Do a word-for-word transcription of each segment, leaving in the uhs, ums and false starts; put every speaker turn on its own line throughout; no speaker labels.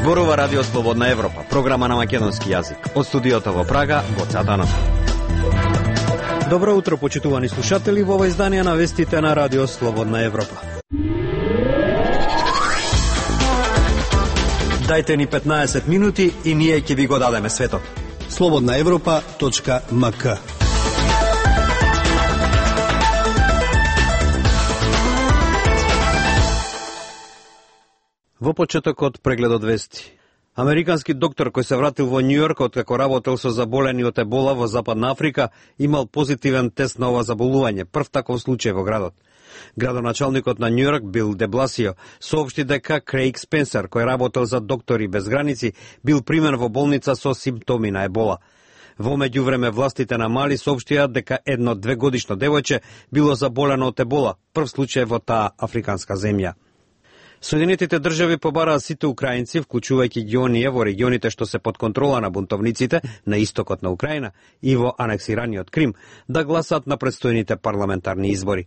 Зборува Радио Слободна Европа, програма на македонски јазик. Од студиото во Прага, Гоца Данов. Добро утро, почитувани слушатели, во ова издание на вестите на Радио Слободна Европа. Дајте ни петнаесет минути и ние ќе ви го дадеме светот.
слободна европа точка ем ка.
Во почетокот прегледот вести. Американски доктор кој се вратил во Њујорк откако работел со заболени од ебола во Западна Африка имал позитивен тест на ова заболување, прв таков случај во градот. Градоначалникот на Њујорк Бил де Бласио соопшти дека Крейг Спенсер, кој работел за Доктори без граници, бил примен во болница со симптоми на ебола. Во меѓувреме властите на Мали соопштија дека едно двегодишно девојче било заболено од ебола, прв случај во таа африканска земја. Соединетите држави побараа сите украинци, вклучувајќи ги оние во регионите што се под контрола на бунтовниците на истокот на Украина и во анексираниот Крим, да гласат на предстојните парламентарни избори.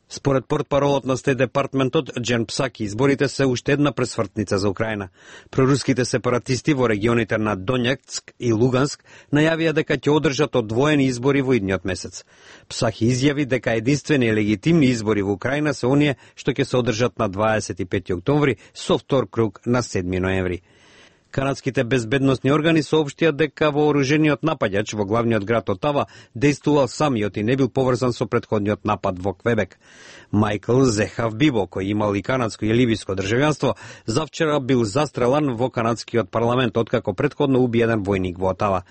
Според портпаролот на Стет департментот Джен Псаки, изборите се уште една пресвртница за Украина. Проруските сепаратисти во регионите на Донецк и Луганск најавија дека ќе одржат одвоени избори во идниот месец. Псаки изјави дека единствени легитимни избори во Украина се оние што ќе се одржат на дваесет и пети октомври со втор круг на седми ноември. Канадските безбедносни органи соопштија дека вооружениот напаѓач во главниот град Отава дејствувал самиот и не бил поврзан со претходниот напад во Квебек. Мајкл Зехав Бибо, кој имал и канадско и ливиско државјанство, завчера бил застрелан во канадскиот парламент откако претходно уби еден војник во Отава.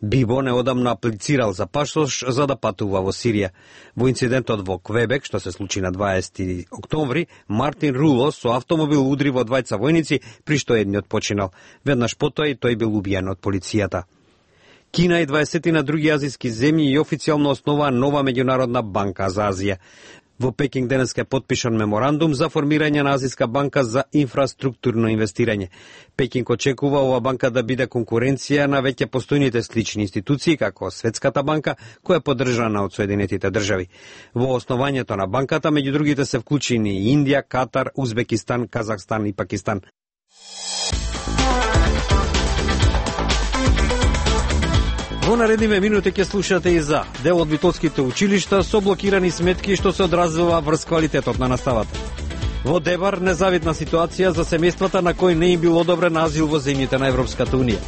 Бибо неодамна аплицирал за пасош за да патува во Сирија. Во инцидентот во Квебек, што се случи на дваесети октомври, Мартин Руло со автомобил удри во двајца војници, при што едниот починал. Веднаш потоа и тој бил убиен од полицијата. Кина и дваесетина други азијски земји и официјално основаа нова меѓународна банка за Азија. Во Пекинг денеска е потпишан меморандум за формирање на Азијска банка за инфраструктурно инвестирање. Пекинг очекува ова банка да биде конкуренција на веќе постојните слични институции, како Светската банка, која е поддржана од Соединетите држави. Во основањето на банката, меѓу другите се вклучени Индија, Катар, Узбекистан, Казахстан и Пакистан. Во наредниве минути ќе слушате и за дел од битолските училишта со блокирани сметки што се одразува врз квалитетот на наставата. Во Дебар незавидна ситуација за семејствата на кои не им бил одобрен азил во земјите на Европската унија.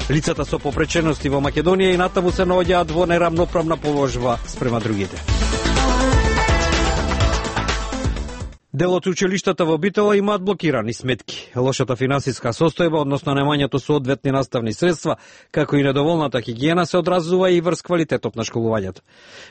Лицата со попречености во Македонија и натаму се наоѓаат во нерамноправна положба спрема другите. Дел од училиштата во Битола имаат блокирани сметки. Лошата финансиска состојба, односно немањето соодветни наставни средства, како и недоволната хигиена се одразува и врз квалитетот на школувањето.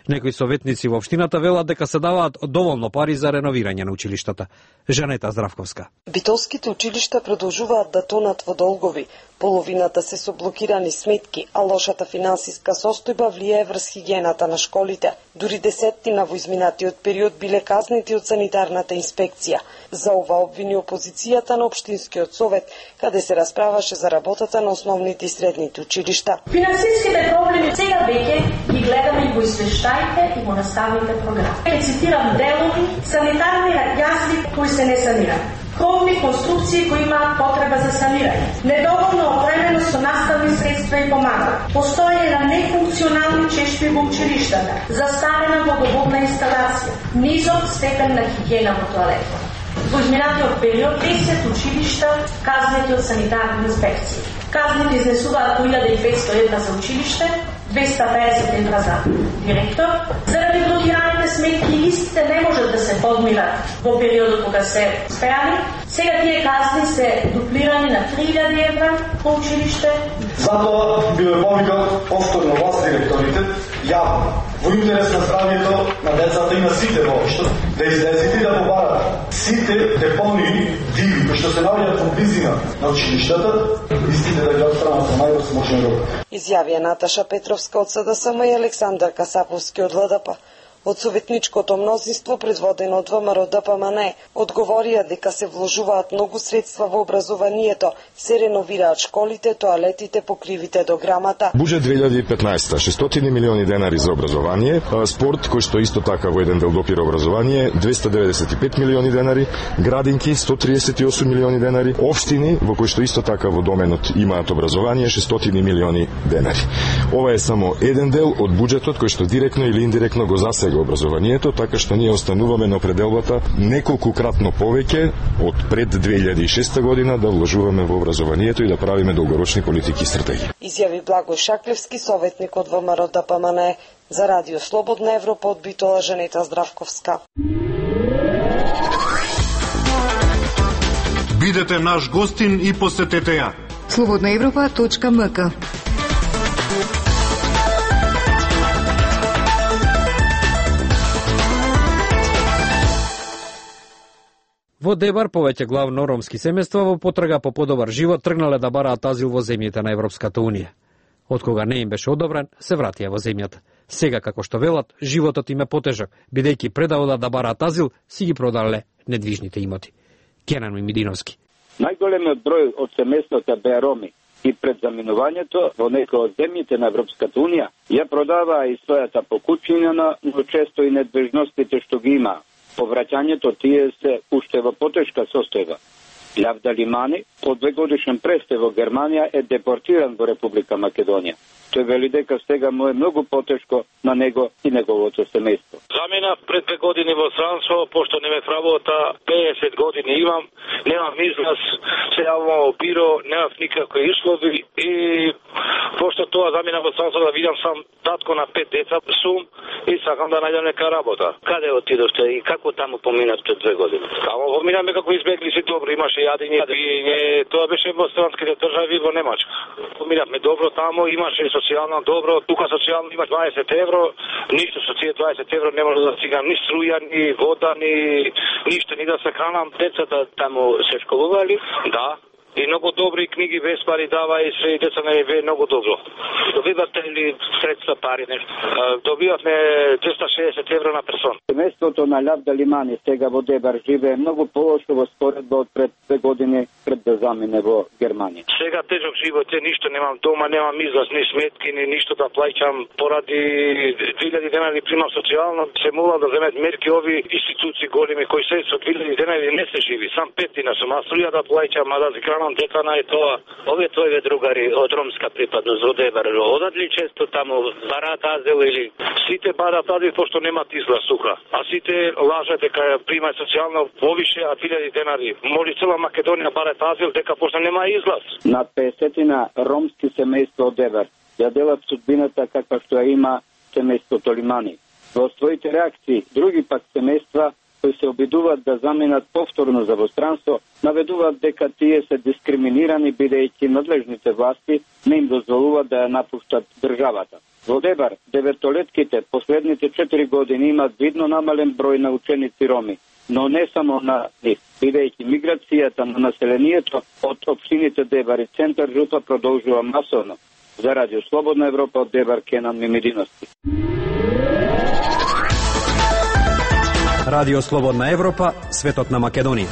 Некои советници во општината велат дека се даваат доволно пари за реновирање на училиштата. Жанета Здравковска.
Битолските училишта продолжуваат да тонат во долгови. Половината се со блокирани сметки, а лошата финансиска состојба влијае врз хигиената на школите. Дури десеттина во изминатиот период биле казнети од санитарната инспекција. За ова обвини опозицијата на Општинскиот совет, каде се расправаше за работата на основните и средните училишта.
Финансиските проблеми сега веќе ги гледаме и во извештаите и во наставните програми. Ќе цитирам делови, санитарни јазви кои се не санираат. Кровни конструкции кои имаат потреба за санирање, недоволно опременост со наставни средства и помагала, постоење на нефункционални чешми во училиштата, застарена водоводна инсталација, низок степен на хигиена во тоалетот. Во изминатиот период десет училишта казнети од санитарни инспекции. Казните изнесуваат по илјада и петсто евра за училиште, двеста и педесет евра за директор. Заради блокираните сметки истите не можат да се подмират во периодот кога се спеани. Сега тие казни се дуплирани на три илјади евра по училиште.
Затоа би ме повикал повторно вас, директорите, јавно, во интерес на здравјето на децата и на сите во општина, да излезете и да побарате сите депонии диви кои што се наоѓаат во близина на училиштата, истите да ги отстранат со највозможен рок.
Изјавија Наташа Петровска од СДСМ и Александар Касаповски од ЛДП. Од советничкото мнозинство, предводено од ВМРО Д П М Н, одговорија дека се вложуваат многу средства во образованието, се реновираат школите, тоалетите, покривите до грамата.
Буџет две илјади и петнаесета шестстотини милиони денари за образование, спорт кој што исто така во еден дел допира образование двесте деветдесет и пет милиони денари, градинки сто триесет и осум милиони денари, општини во кои што исто така во доменот имаат образование шестстотини милиони денари. Ова е само еден дел од буџетот кој што директно или индиректно го засега образованието, така што ние остануваме на определбата неколкукратно повеќе од пред две илјади и шеста година да вложуваме во образованието и да правиме долгорочни политики и стратегии.
Изјави Благој Шаклевски, советник од ВМРО Д П М Н, за Радио Слободна Европа од Битола Женета Здравковска.
Бидете наш гостин и посетете ја.
слободна европа точка м к.
Во Дебар повеќе главно ромски семејства во потрага по подобар живот тргнале да бараат азил во земјите на Европската унија. Од кога не им беше одобрен, се вратија во земјата. Сега, како што велат, животот им е потежок, бидејќи пред да одат да бараат азил, си ги продале недвижните имоти. Кенан Мимидиновски.
Најголемиот број од семејствата беа роми и пред заминувањето во некои од земјите на Европската унија ја продаваа и својата покуќина, но често и недвижностите што ги има. По враќањето тие се уште во потешка состојба. Лавда Лимани, по двегодишен престај во Германија, е депортиран во Република Македонија. Тој вели дека сега му е многу потешко на него и неговото семејство.
Заминав пред две години во странство, пошто не ме вработа, пеесет години имам, немам излаз, се јавувам во биро, немав никакви услови и пошто тоа заминав во странство да видам сам татко на пет деца сум и сакам да најдам нека работа. Каде отидовте и како таму поминавте две години? Таму поминаме како избеглици добро, имаше јадење, пиење, тоа беше во странските држави во Немачка. Поминавме добро таму, имаше социјално добро, тука социјално имаш дваесет евро, ништо со тие дваесет евро не може да стигам ни струја, ни вода, ни ништо, ни да се хранам. Децата таму се школували, да, и многу добри книги без пари дава и се и деца не е многу добро. Добивате ли средства пари нешто? Добивавме двеста шеесет евро на персон.
Семејството на Лавда Лимани сега во Дебар живее многу полошо во споредба од пред две години пред да замине во Германија.
Сега тежок живот е, ништо немам дома, немам излаз, ни сметки, ни ништо да плаќам, поради две илјади денари примам социјално, се молам да земат мерки ови институции големи кои се со две илјади денари не се живи, сам пет дина сум, а струја да плаќам, а да си хранам дека на е тоа. Овие твои другари од ромска припадност во Дебар, одат ли често таму бараат азил или сите бараат азил пошто немаат излаз сука, а сите лажат дека примаат социјално повише, а две илјади денари. Моли цела Македонија бараат азил дека пошто нема излаз.
Над песетина ромски семејства од Дебар ја делат судбината каква што ја има семејството Лимани. Во своите реакции, други пак семејства кои се обидуваат да заминат повторно за востранство, наведуваат дека тие се дискриминирани бидејќи надлежните власти не им дозволуваат да ја напуштат државата. Во Дебар, деветолетките последните четири години имаат видно намален број на ученици роми, но не само на нив, бидејќи миграцијата на населението од општините Дебар и Центар Жупа продолжува масовно. За Радио Слободна Европа од Дебар, Кенан Мимидиновски.
Радио Слободна Европа, светот на Македонија.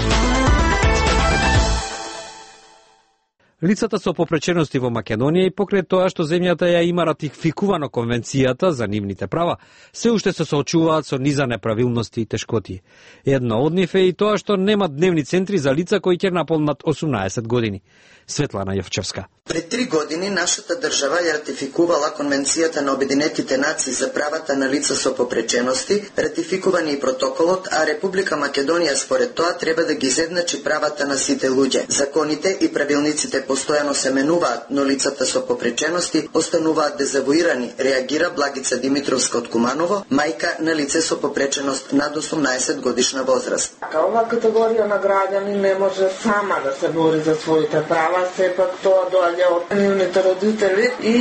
Лицата со попречености во Македонија и покрај тоа што земјата ја има ратификувано конвенцијата за нивните права, се уште се соочуваат со низа неправилности и тешкоти. Едно од нив е и тоа што нема дневни центри за лица кои ќе наполнат осумнаесет години. Светлана Јовчевска.
Пред три години нашата држава ја ратификувала Конвенцијата на Обединетите нации за правата на лица со попречености, ратификувани и протоколот, а Република Македонија според тоа треба да ги изедначи правата на сите луѓе. Законите и правилниците постојано се менуваат, но лицата со попречености остануваат дезавуирани, реагира Благица Димитровска од Куманово, мајка на лице со попреченост над осумнаесет годишна возраст.
Ова категорија на граѓани не може сама да се бори за своите права, сепак тоа доаѓа од нивните родители и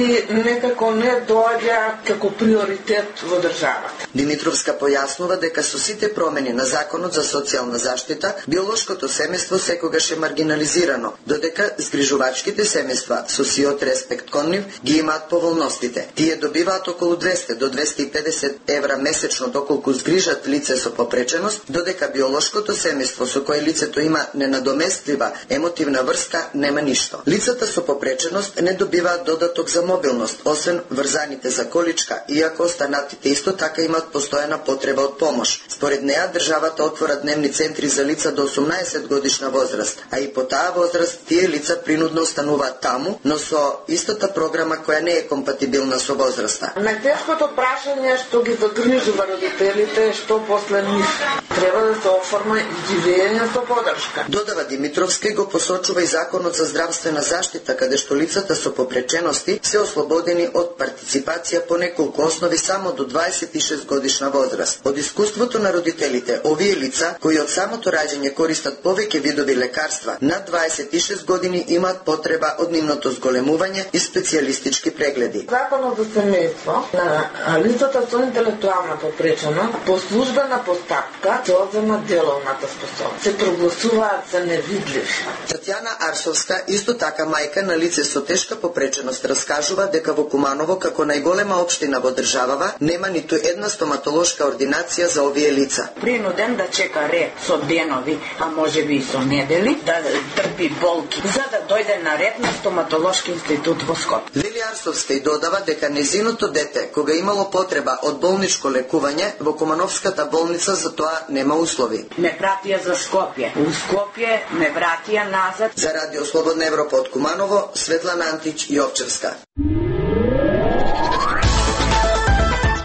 некако не доаѓа како приоритет во државата.
Димитровска појаснува дека со сите промени на Законот за социјална заштита, биолошкото семејство секогаш е маргинализирано, додека згрижувањето прижувачките семејства со сиот респект кон нив ги имаат поволностите. Тие добиваат околу двесте до двесте и педесет евра месечно доколку згрижат лице со попреченост, додека биолошкото семејство со кое лицето има ненадоместлива емотивна врска нема ништо. Лицата со попреченост не добиваат додаток за мобилност, освен врзаните за количка, иако останатите исто така имаат постојана потреба од помош. Според неа, државата отвора дневни центри за лица до осумнаесет годишна возраст, а и по таа возраст тие лица принудно остануваат таму, но со истата програма која не е компатибилна со возраста.
Најтешкото прашање што ги загрижува родителите, што после нив треба да се оформа живење со поддршка.
Додава Димитровска и го посочува и Законот за здравствена заштита, каде што лицата со попречености се ослободени од партиципација по неколку основи само до дваесет и шест годишна возраст. Од искуството на родителите, овие лица кои од самото раѓање користат повеќе видови лекарства, над дваесет и шест години имаат потреба од нивното зголемување и специјалистички прегледи.
Законот за семејство на лицата со интелектуална попреченост по службена постапка се одзема деловната способност. Се прогласуваат за невидливи.
Татјана Арсовска, исто така мајка на лице со тешка попреченост, раскажува дека во Куманово, како најголема општина во државава, нема ниту една стоматолошка ординација за овие лица.
Принуден да чека ред со денови, а можеби и со недели, да трпи болки, за да дојде на ред на стоматолошки институт во Скопје.
Лили Арсовска и додава дека незиното дете, кога имало потреба од болничко лекување, во Кумановската болница за тоа нема услови.
Ме пратија за Скопје. У Скопје ме вратија назад.
За Радио Слободна Европа од Куманово, Светлана Антич Јовчевска.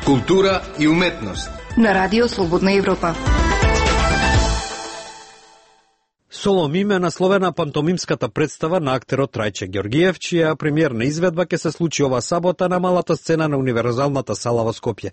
Култура и уметност
на Радио Слободна Европа.
Солом име насловена пантомимската представа на актерот Трајче Ѓоргиев, чија премиерна изведба ќе се случи ова сабота на малата сцена на Универзалната сала во Скопје.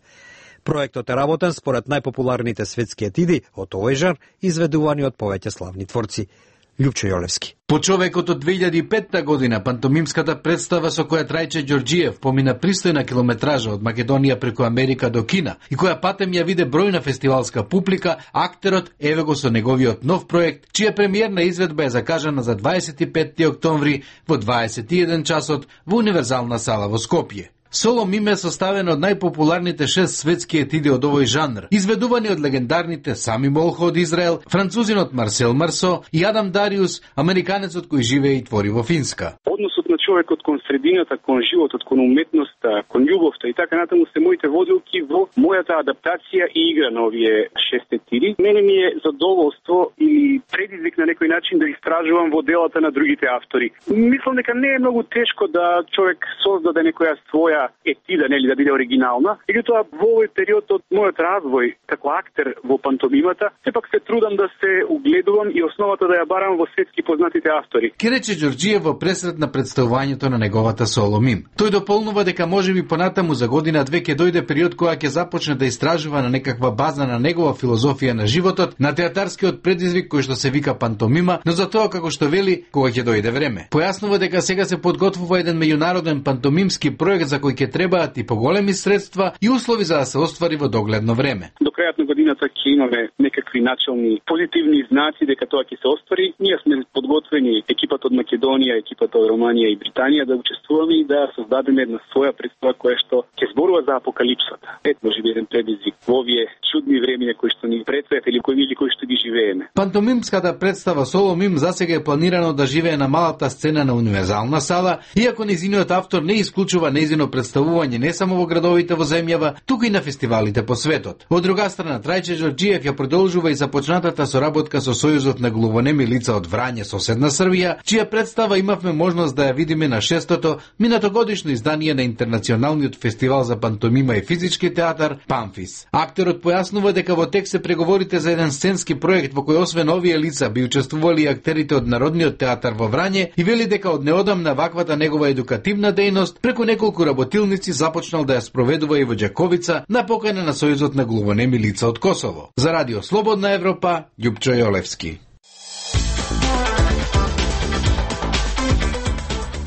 Проектот е работен според најпопуларните светски етиди од овој жар, изведувани од повеќе славни творци. Љупчо Јолевски.
По човекот од две илјади и петта година, пантомимската представа со која Трајче Ѓоргиев помина пристојна километража од Македонија преку Америка до Кина и која патем ја виде бројна фестивалска публика, актерот еве го со неговиот нов проект, чија премиерна изведба е закажана за дваесет и петти октомври во дваесет и еден часот во Универзална сала во Скопје. Соло миме е составено од најпопуларните шест светски етиди од овој жанр, изведувани од легендарните Сами Молхо од Израел, французинот Марсел Марсо и Адам Дариус, американецот кој живее и твори во Финска.
Односот на човекот кон средината, кон животот, кон уметноста, кон љубовта и така натаму се моите водилки во мојата адаптација и игра на овие шест етиди. Мене ми е задоволство и предизвик на некој начин да истражувам во делата на другите автори. Мислам дека не е многу тешко да човек создаде некоја своја етида, нели, да биде оригинална. Меѓутоа, во овој период од мојот развој како актер во пантомимата, сепак се трудам да се угледувам и основата да ја барам во светски познатите автори.
Ке рече Ѓоргиев во пресред на представувањето на неговата соло мим. Тој дополнува дека можеби понатаму за година две ќе дојде период кога ќе започне да истражува на некаква база на негова филозофија на животот, на театарскиот предизвик кој што се вика пантомима, но за тоа како што вели кога ќе дојде време. Појаснува дека сега се подготвува еден меѓународен пантомимски проект за кој ќе требаат и поголеми средства и услови за да се оствари во догледно време.
До крајот на годината ќе имаме некакви начални позитивни знаци дека тоа ќе се оствари. Ние сме подготвени, екипата од Македонија, екипата од Романија и Британија, да учествуваме и да создадеме една своја представа која што ќе зборува за апокалипсата. Ет можеби еден предизвик во овие чудни времиња кои што ни предстојат или кои или кои што ги живееме.
Пантомимската представа Соло мим засега е планирано да живее на малата сцена на Универзална сала, иако незиниот автор не исклучува незино представување не само во градовите во земјава, туку и на фестивалите по светот. Од друга страна, Трајче Ѓоргиев ја продолжува и започнатата соработка со Сојузот на глувонеми лица од Врање, соседна Србија, чија представа имавме можност да ја видиме на шестото минатогодишно издание на Интернационалниот фестивал за пантомима и физички театар Памфис. Актерот појаснува дека во тек се преговорите за еден сценски проект во кој освен овие лица би учествували и актерите од Народниот театар во Врање и вели дека од неодамна ваквата негова едукативна дејност преку неколку работилници започнал да ја спроведува и во Ѓаковица на покана на Сојузот на глувонеми лица од Косово. За Радио Слободна Европа, Љупчо Јолевски.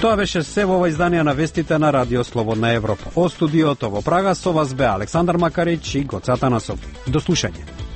Тоа беше се во ова издание на вестите на Радио Слободна Европа. Од студиото во Прага со вас бе Александар Макарич и Гоце Атанасов. До слушање.